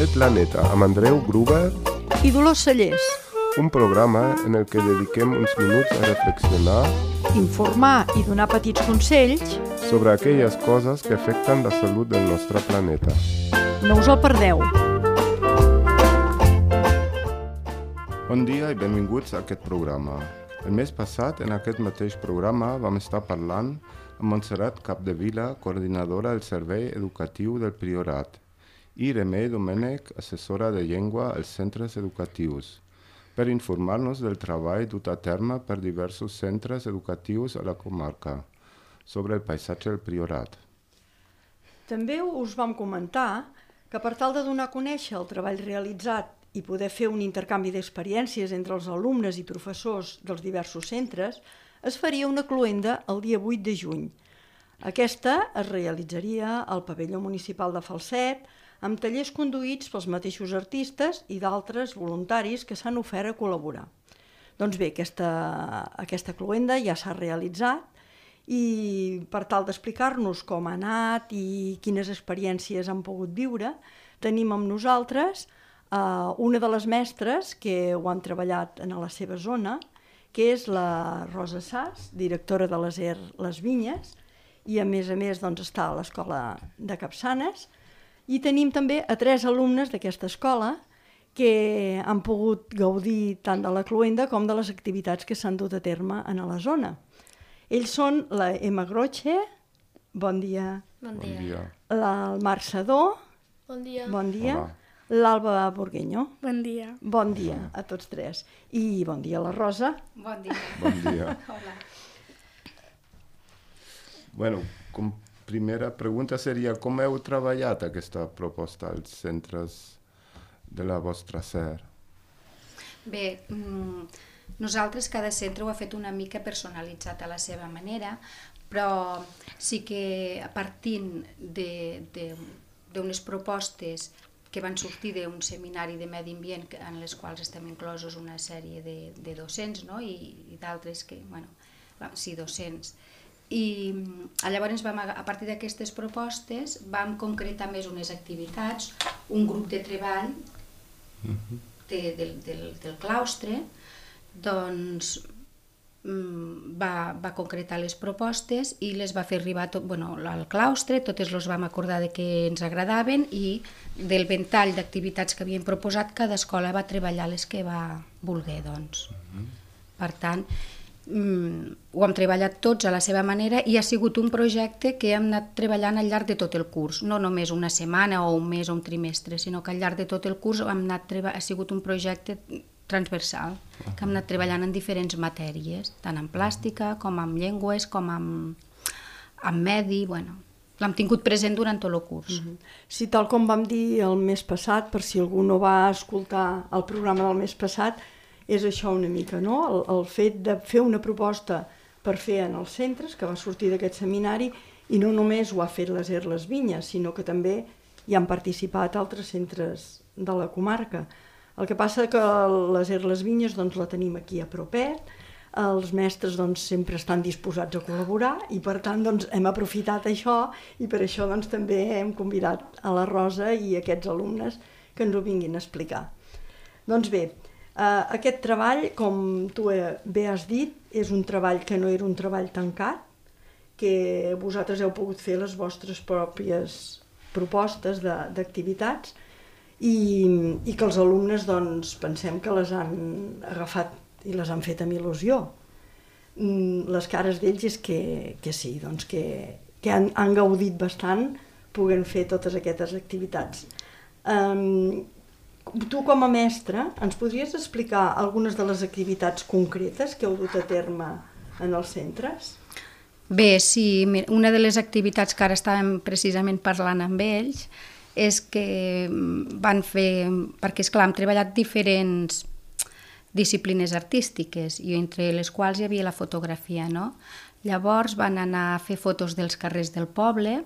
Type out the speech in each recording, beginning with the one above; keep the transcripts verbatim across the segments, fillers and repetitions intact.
El Planeta amb Andreu Gruber i Dolors Cellers. Un programa en el que dediquem uns minuts a reflexionar, informar i donar petits consells sobre aquelles coses que afecten la salut del nostre planeta. No us el perdeu. Bon dia i benvinguts a aquest programa. El mes passat, en aquest mateix programa, vam estar parlant amb Montserrat Capdevila, coordinadora del Servei Educatiu del Priorat, i Remei Domènech, assessora de llengua als centres educatius, per informar-nos del treball dut a terme per diversos centres educatius a la comarca sobre el paisatge del Priorat. També us vam comentar que per tal de donar a conèixer el treball realitzat i poder fer un intercanvi d'experiències entre els alumnes i professors dels diversos centres, es faria una cloenda el dia vuit de juny. Aquesta es realitzaria al pavelló municipal de Falset, amb tallers conduïts pels mateixos artistes i d'altres voluntaris que s'han ofert a col·laborar. Doncs bé, aquesta, aquesta cloenda ja s'ha realitzat i per tal d'explicar-nos com ha anat i quines experiències han pogut viure, tenim amb nosaltres Uh, una de les mestres que ho han treballat en la seva zona, que és la Rosa Sas, directora de l'A S E R Les Vinyes, i a més a més doncs, està a l'escola de Capçanes, i tenim també a tres alumnes d'aquesta escola que han pogut gaudir tant de la cloenda com de les activitats que s'han dut a terme en la zona. Ells són la Emma Groche, bon dia, Bon dia. Bon dia. la, el Marc Sadó, Bon dia. bon dia, Hola. l'Alba Burgueño. Bon dia. Bon dia a tots tres. I bon dia a la Rosa. Bon dia. Bon dia. Hola. Bueno, com primera pregunta seria com heu treballat aquesta proposta als centres de la vostra S E R? Bé, mm, nosaltres cada centre ho ha fet una mica personalitzat a la seva manera, però sí que partint d'unes propostes que van sortir d'un seminari de medi ambient en les quals estem inclosos una sèrie de, de docents, no? I, i d'altres que, bueno, sí, docents. I llavors vam, a partir d'aquestes propostes vam concretar més unes activitats, un grup de treball de, del, del, del claustre, doncs va, va concretar les propostes i les va fer arribar tot, bueno, al claustre, totes les vam acordar de que ens agradaven i del ventall d'activitats que havien proposat cada escola va treballar les que va voler, doncs. Per tant, ho hem treballat tots a la seva manera i ha sigut un projecte que hem anat treballant al llarg de tot el curs, no només una setmana o un mes o un trimestre, sinó que al llarg de tot el curs hem anat treba- ha sigut un projecte transversal, que hem anat treballant en diferents matèries, tant en plàstica com en llengües, com en, en medi, bueno, l'hem tingut present durant tot el curs. Mm-hmm. Sí, tal com vam dir el mes passat, per si algú no va escoltar el programa del mes passat, és això una mica, no? El, el fet de fer una proposta per fer en els centres, que va sortir d'aquest seminari, i no només ho ha fet l'A S E R Les Vinyes, sinó que també hi han participat altres centres de la comarca. El que passa que l'A S E R Les Vinyes doncs, la tenim aquí a propet, els mestres doncs, sempre estan disposats a col·laborar i per tant doncs, hem aprofitat això i per això doncs, també hem convidat a la Rosa i a aquests alumnes que ens ho vinguin a explicar. Doncs bé, eh, aquest treball, com tu bé has dit, és un treball que no era un treball tancat, que vosaltres heu pogut fer les vostres pròpies propostes d'activitats I, i que els alumnes doncs, pensem que les han agafat i les han fet amb il·lusió. Les cares d'ells és que, que sí, doncs que, que han, han gaudit bastant podent fer totes aquestes activitats. Um, tu com a mestre ens podries explicar algunes de les activitats concretes que heu dut a terme en els centres? Bé, sí, una de les activitats que ara estàvem precisament parlant amb ells és que van fer, perquè esclar, hem treballat diferents disciplines artístiques i entre les quals hi havia la fotografia, no? Llavors van anar a fer fotos dels carrers del poble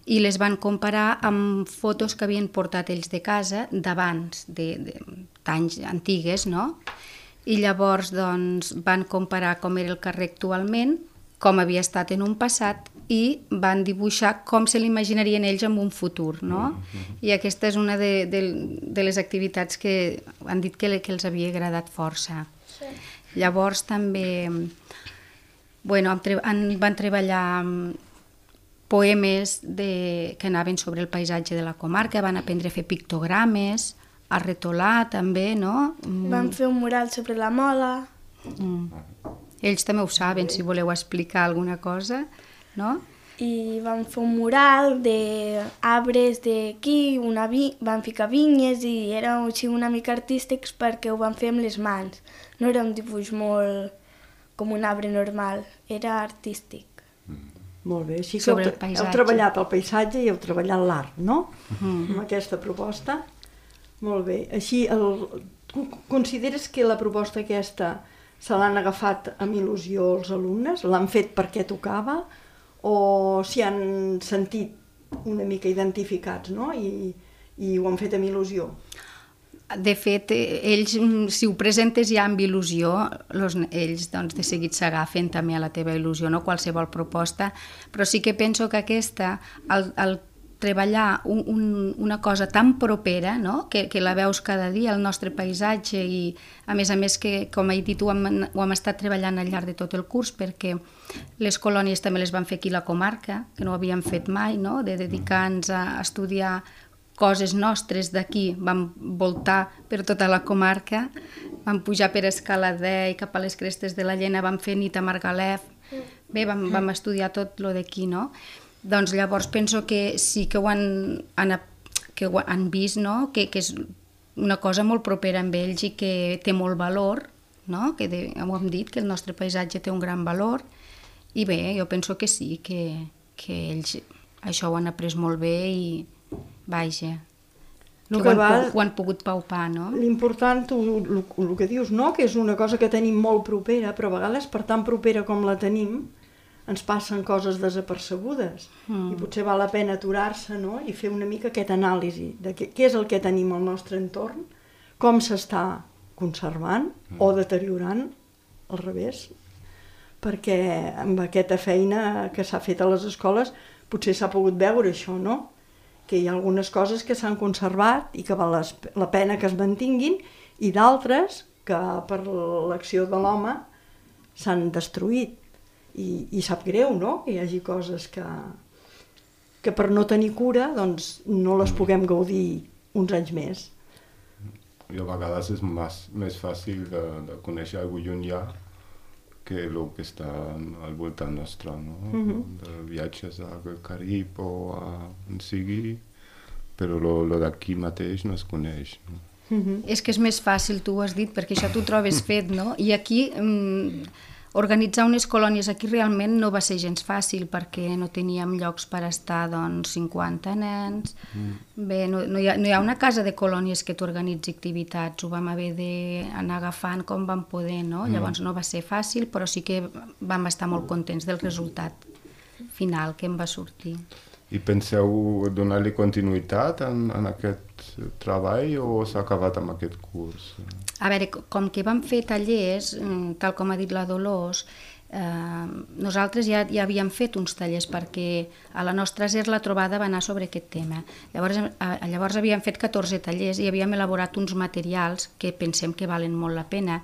i les van comparar amb fotos que havien portat ells de casa d'abans, d'anys antigues, no? I llavors doncs, van comparar com era el carrer actualment, com havia estat en un passat i van dibuixar com se l'imaginarien ells en un futur, no? I aquesta és una de, de, de les activitats que han dit que, que els havia agradat força. Sí. Llavors també bueno, han, van treballar poemes de, que anaven sobre el paisatge de la comarca, van aprendre a fer pictogrames, a retolar també, no? Van fer un mural sobre la mola. Mm. Ells també ho saben, si voleu explicar alguna cosa, no? I van fer un mural d'arbres d'aquí, vi... van ficar vinyes i era així una mica artístics perquè ho van fer amb les mans. No era un dibuix molt com un arbre normal, era artístic. Mm. Molt bé, així que sobre heu, heu treballat el paisatge i heu treballat l'art, no? Mm. Amb aquesta proposta. Molt bé. Així, el... consideres que la proposta aquesta se l'han agafat amb il·lusió els alumnes? L'han fet perquè tocava? O s'hi han sentit una mica identificats, no? I, i ho han fet amb il·lusió? De fet, ells, si ho presentes ja amb il·lusió, los, ells doncs, de seguit s'agafen també a la teva il·lusió, no? Qualsevol proposta, però sí que penso que aquesta, el, el treballar un, un, una cosa tan propera, no? que, que la veus cada dia, el nostre paisatge, i a més a més que, com he dit, ho hem, ho hem estat treballant al llarg de tot el curs, perquè les colònies també les van fer aquí a la comarca, que no ho havíem fet mai, no? De dedicar-nos a estudiar coses nostres d'aquí, vam voltar per tota la comarca, vam pujar per Escaladei i cap a les crestes de la Llena, vam fer nit a Margalef, bé, vam, vam estudiar tot lo d'aquí, no? Doncs llavors penso que sí que ho han, han, que ho han vist, no? que, que és una cosa molt propera amb ells i que té molt valor, no? Que de, ho hem dit, que el nostre paisatge té un gran valor, i bé, jo penso que sí, que, que ells això ho han après molt bé i vaja, que ho han, ho han pogut paupar, no? L'important, el, el que dius, no? Que és una cosa que tenim molt propera, però a vegades per tan propera com la tenim, ens passen coses desapercebudes mm. i potser val la pena aturar-se, no? I fer una mica aquest anàlisi de què, què és el que tenim al nostre entorn, com s'està conservant mm. o deteriorant, al revés, perquè amb aquesta feina que s'ha fet a les escoles potser s'ha pogut veure això, no? Que hi ha algunes coses que s'han conservat i que val la pena que es mantinguin i d'altres que per l'acció de l'home s'han destruït. I, i sap greu, no?, que hi hagi coses que, que per no tenir cura doncs no les puguem gaudir uns anys més. I a vegades és més, més fàcil de, de conèixer algú llunyà que el que està al voltant nostre, no? Mm-hmm. De viatges al Carib o a on sigui, però lo, lo d'aquí mateix no es coneix, no? Mm-hmm. És que és més fàcil, tu ho has dit, perquè això tu ho trobes fet, no? I aquí... Mm, organitzar unes colònies aquí realment no va ser gens fàcil perquè no teníem llocs per estar doncs, cinquanta nens. Mm. Bé, no, no, hi ha, no hi ha una casa de colònies que t'organitzi activitats, ho vam haver d'anar agafant com vam poder, no? Mm. Llavors no va ser fàcil, però sí que vam estar molt contents del resultat final que em va sortir. I penseu donar-li continuïtat en, en aquest treball o s'ha acabat amb aquest curs? A veure, com que vam fer tallers, tal com ha dit la Dolors, eh, nosaltres ja, ja havíem fet uns tallers perquè a la nostra S E R la trobada va anar sobre aquest tema. Llavors, a, llavors havíem fet catorze tallers i havíem elaborat uns materials que pensem que valen molt la pena,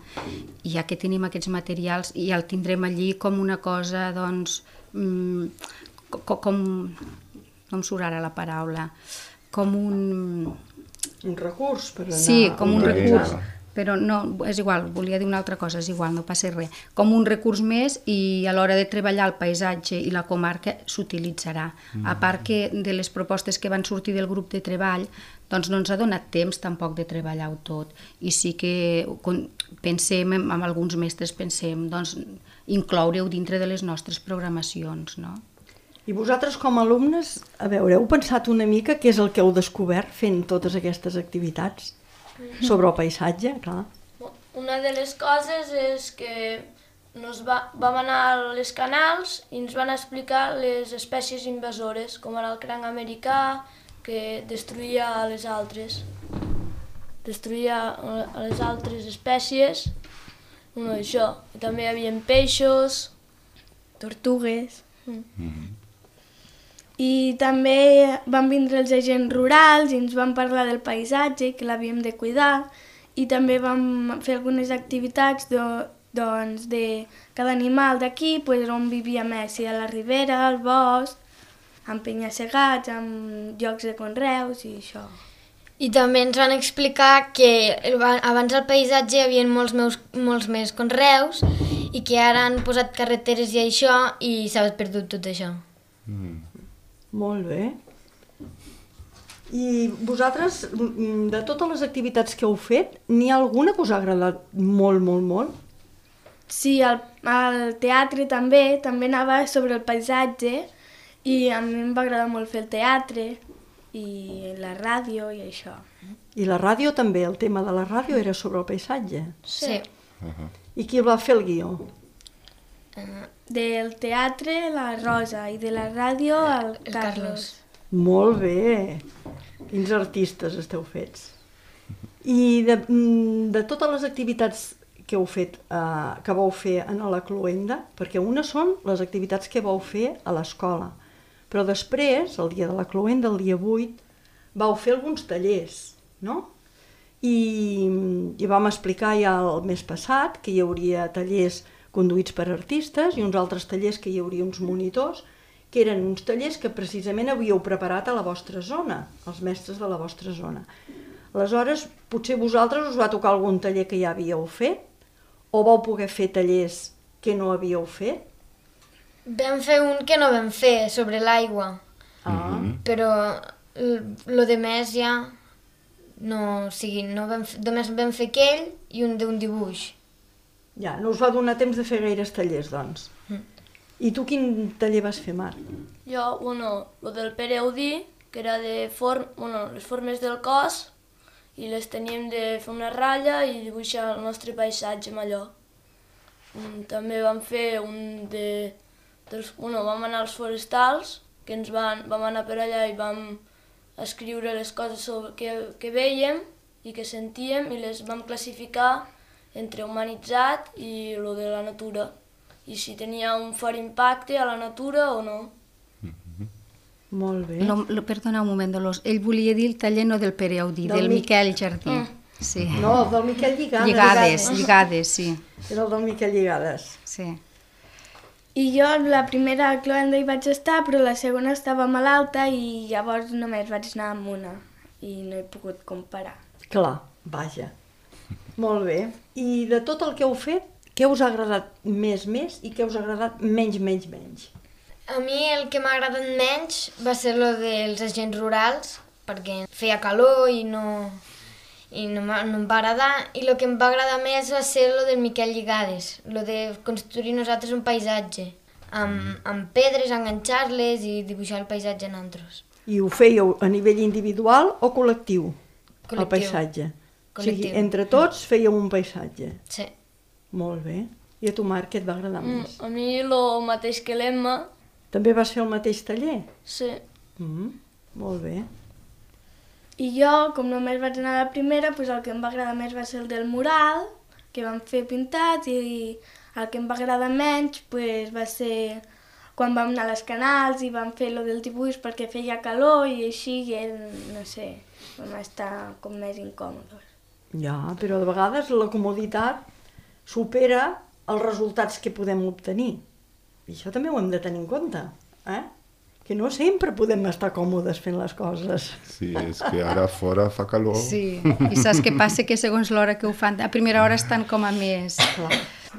i ja que tenim aquests materials ja el tindrem allí com una cosa, doncs, mm, com, com no em surt ara la paraula, com un... Un recurs per anar... Sí, com un recurs, però no, és igual, volia dir una altra cosa, és igual, no passa res. Com un recurs més i a l'hora de treballar el paisatge i la comarca s'utilitzarà. Mm. A part que de les propostes que van sortir del grup de treball, doncs no ens ha donat temps tampoc de treballar-ho tot. I sí que pensem, amb alguns mestres pensem, doncs incloure-ho dintre de les nostres programacions, no? I vosaltres com a alumnes, a veure, heu pensat una mica què és el que heu descobert fent totes aquestes activitats sobre el paisatge, clar? Una de les coses és que nos va, vam anar a les canals i ens van explicar les espècies invasores, com ara el cranc americà, que destruïa a les altres. Destruïa a les altres espècies, bueno, això. I també hi havia peixos, tortugues... Mm-hmm. I també van vindre els agents rurals i ens van parlar del paisatge, que l'havíem de cuidar, i també vam fer algunes activitats de, doncs, de cada animal d'aquí, pues, on vivia més, si a la ribera, al bosc, amb penya-segats, amb llocs de conreus i això. I també ens van explicar que abans al paisatge hi havia molts, meus, molts més conreus i que ara han posat carreteres i això i s'ha perdut tot això. Mm. Molt bé. I vosaltres, de totes les activitats que heu fet, n'hi ha alguna que us ha agradat molt, molt, molt? Sí, al, al teatre també, també anava sobre el paisatge i a mi em va agradar molt fer el teatre i la ràdio i això. I la ràdio també, el tema de la ràdio era sobre el paisatge. Sí. Uh-huh. I qui el va fer el guió? Del teatre, la Rosa, i de la ràdio, el, el Carlos. Carlos. Molt bé! Quins artistes esteu fets. I de, de totes les activitats que heu fet, eh, que vau fer en la cloenda, perquè una són les activitats que vau fer a l'escola, però després, el dia de la cloenda, el dia vuit, vau fer alguns tallers, no? I, i vam explicar ja el mes passat que hi hauria tallers conduïts per artistes i uns altres tallers que hi hauria uns monitors, que eren uns tallers que precisament havíeu preparat a la vostra zona, els mestres de la vostra zona. Aleshores, potser vosaltres us va tocar algun taller que ja havíeu fet, o vau poder fer tallers que no havíeu fet? Vam fer un que no vam fer, sobre l'aigua, Ah. però lo de més ja no, o sigui, no vam, només vam fer aquell i un d'un dibuix. Ja, no us va donar temps de fer gaires tallers, doncs. Mm. I tu quin taller vas fer, Marc? Jo, bueno, el del Pere Audí, que era de form, bueno, les formes del cos, i les teníem de fer una ratlla i dibuixar el nostre paisatge amb allò. Mm, també vam fer un de... Dels, bueno, vam anar als forestals, que ens van, vam anar per allà i vam escriure les coses sobre, que, que veiem i que sentíem i les vam classificar entre humanitzat i lo de la natura, i si tenia un fort impacte a la natura o no. Molt bé. Lo, lo, perdona un moment, Dolors. Ell volia dir el taller no del Pere Audí, Del del, Mi- Miquel Jardí. Mm. Sí. No, el del Miquel Lligades. Lligades, lligades, sí. Era el del Miquel Lligades. sí. I jo la primera cloenda hi vaig estar, però la segona estava malalta i llavors només vaig anar amb una i no he pogut comparar. Clar, vaja. Molt bé. I de tot el que heu fet, què us ha agradat més, més i què us ha agradat menys, menys, menys? A mi el que m'ha agradat menys va ser lo dels agents rurals, perquè feia calor i no, i no, m'ha- no em va agradar, i el que em va agradar més va ser lo del Miquel Lligades, lo de construir nosaltres un paisatge, amb, amb pedres, enganxar-les i dibuixar el paisatge en altres. I ho fèieu a nivell individual o col·lectiu, el Col·lectiu. paisatge? O sigui, Col·lectiu. entre tots fèieu un paisatge. Sí. Molt bé. I a tu, Marc, què et va agradar Mm, més? a mi el mateix que l'Emma, També vas fer el mateix taller? sí. Mm, molt bé. I jo, com només vaig anar a la primera, doncs el que em va agradar més va ser el del mural, que vam fer pintats, i el que em va agradar menys doncs, va ser quan vam anar a les canals i vam fer lo del dibuix perquè feia calor i així, i era, no sé, vam estar com més incòmodes. Ja, però de vegades la comoditat supera els resultats que podem obtenir. I això també ho hem de tenir en compte, eh? Que no sempre podem estar còmodes fent les coses. Sí, és que ara fora fa calor. Sí, i saps què passa? Que segons l'hora que ho fan, a primera hora estan com a més,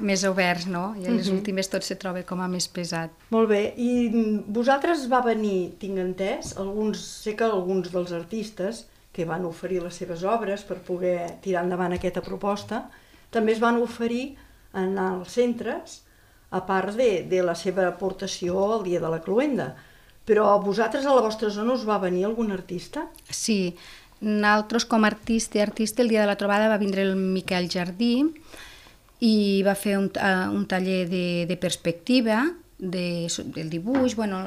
més oberts, no? I a les últimes tot se troba com a més pesat. Molt bé, i vosaltres va venir, tinc entès, alguns, sé que alguns dels artistes que van oferir les seves obres per poder tirar endavant aquesta proposta, també es van oferir en els centres, a part de, de la seva aportació al dia de la cloenda. Però a vosaltres, a la vostra zona, us va venir algun artista? Sí, nosaltres com a artista i artista, el dia de la trobada va vindre el Miquel Jardí i va fer un, uh, un taller de, de perspectiva, de, del dibuix, bueno,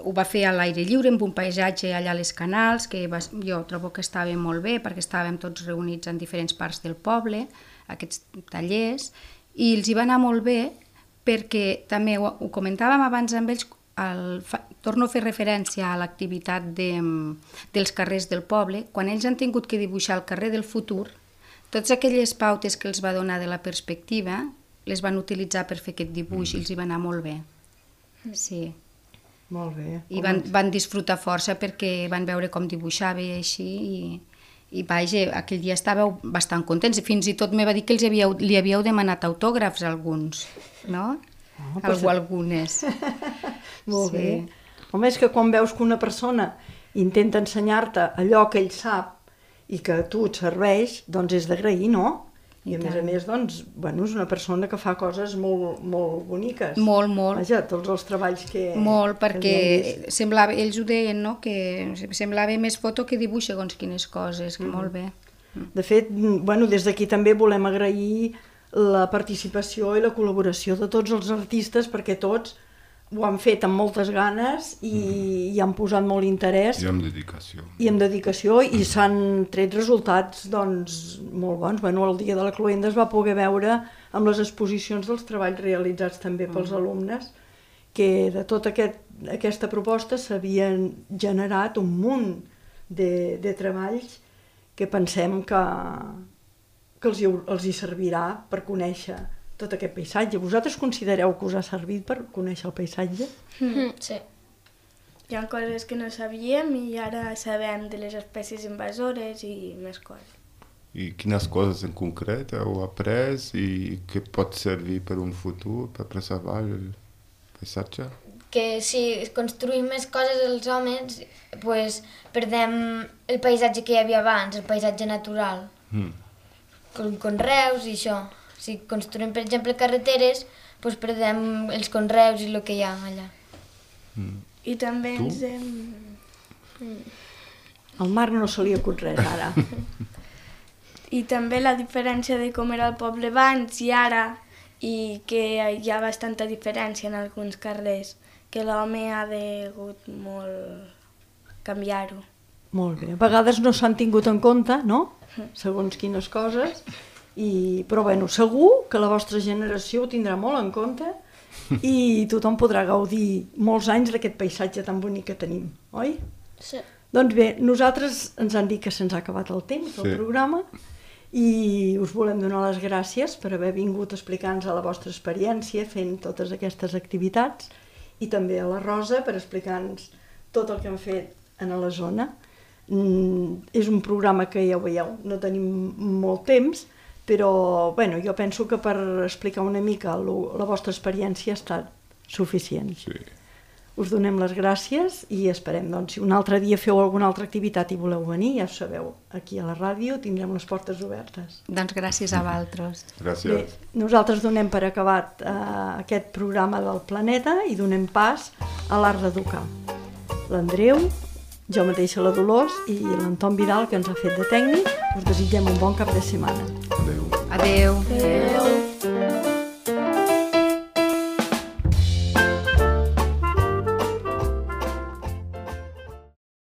ho va fer a l'aire lliure, amb un paisatge allà a les canals, que va, jo trobo que estava molt bé, perquè estàvem tots reunits en diferents parts del poble, aquests tallers, i els hi va anar molt bé, perquè també ho, ho comentàvem abans amb ells, el, fa, torno a fer referència a l'activitat de, dels carrers del poble. Quan ells han tingut que dibuixar el carrer del futur, totes aquelles pautes que els va donar de la perspectiva les van utilitzar per fer aquest dibuix i els hi va anar molt bé. Sí. Molt bé. I van, van disfrutar força perquè van veure com dibuixava i així i, i vaja, aquell dia estàveu bastant contents. Fins i tot me va dir que els havíeu, li havíeu demanat autògrafs a alguns, no? Oh, Algú, algunes. Molt sí. bé. Home, és que quan veus que una persona intenta ensenyar-te allò que ell sap i que a tu et serveix, doncs és d'agrair, no? I, I a més a més, doncs, bueno, és una persona que fa coses molt, molt boniques. Molt, molt. Vaja, tots els treballs que... Molt, perquè que semblava, ells ho deien, no?, que semblava més foto que dibuix segons quines coses, mm. molt bé. De fet, bueno, des d'aquí també volem agrair la participació i la col·laboració de tots els artistes, perquè tots ho han fet amb moltes ganes i mm. hi han posat molt interès. I amb dedicació. I amb dedicació, i s'han tret resultats, doncs, molt bons. Bueno, el dia de la cloenda es va poder veure amb les exposicions dels treballs realitzats també pels mm. alumnes, que de tota aquest, aquesta proposta s'havien generat un munt de, de treballs que pensem que, que els, hi, els hi servirà per conèixer tot aquest paisatge. Vosaltres considereu que us ha servit per conèixer el paisatge? Mm. Sí. Hi ha coses que no sabíem i ara sabem de les espècies invasores i més coses. I quines coses en concret heu après i que pot servir per un futur, per preservar el paisatge? Que si construïm més coses els homes, pues, perdem el paisatge que hi havia abans, el paisatge natural. Mm. Com conreus i això. Si construïm, per exemple, carreteres, doncs perdem els conreus i el que hi ha allà. Mm. I també tu? ens hem... Mm. Al Marc no se li acut res, ara. I també la diferència de com era el poble abans i ara, i que hi ha bastanta diferència en alguns carrers, que l'home ha degut molt canviar-ho. Molt bé. A vegades no s'han tingut en compte, no?, segons quines coses. I, però bueno, segur que la vostra generació ho tindrà molt en compte i tothom podrà gaudir molts anys d'aquest paisatge tan bonic que tenim, oi? Sí. Doncs bé, nosaltres ens han dit que se'ns ha acabat el temps del sí. programa i us volem donar les gràcies per haver vingut a explicar-nos la vostra experiència fent totes aquestes activitats i també a la Rosa per explicar-nos tot el que han fet a la zona. Mm, és un programa que ja ho veieu, no tenim molt temps, però bueno, jo penso que per explicar una mica lo, la vostra experiència ha estat suficient. Sí. Us donem les gràcies i esperem, doncs, si un altre dia feu alguna altra activitat i voleu venir, ja ho sabeu, aquí a la ràdio tindrem les portes obertes. Doncs gràcies a vosaltres. Gràcies. Bé, nosaltres donem per acabat eh, aquest programa del Planeta i donem pas a l'Art d'Educar. L'Andreu, jo mateixa la Dolors i l'Anton Vidal, que ens ha fet de tècnic, us desitgem un bon cap de setmana. Adéu. Adéu. Adéu.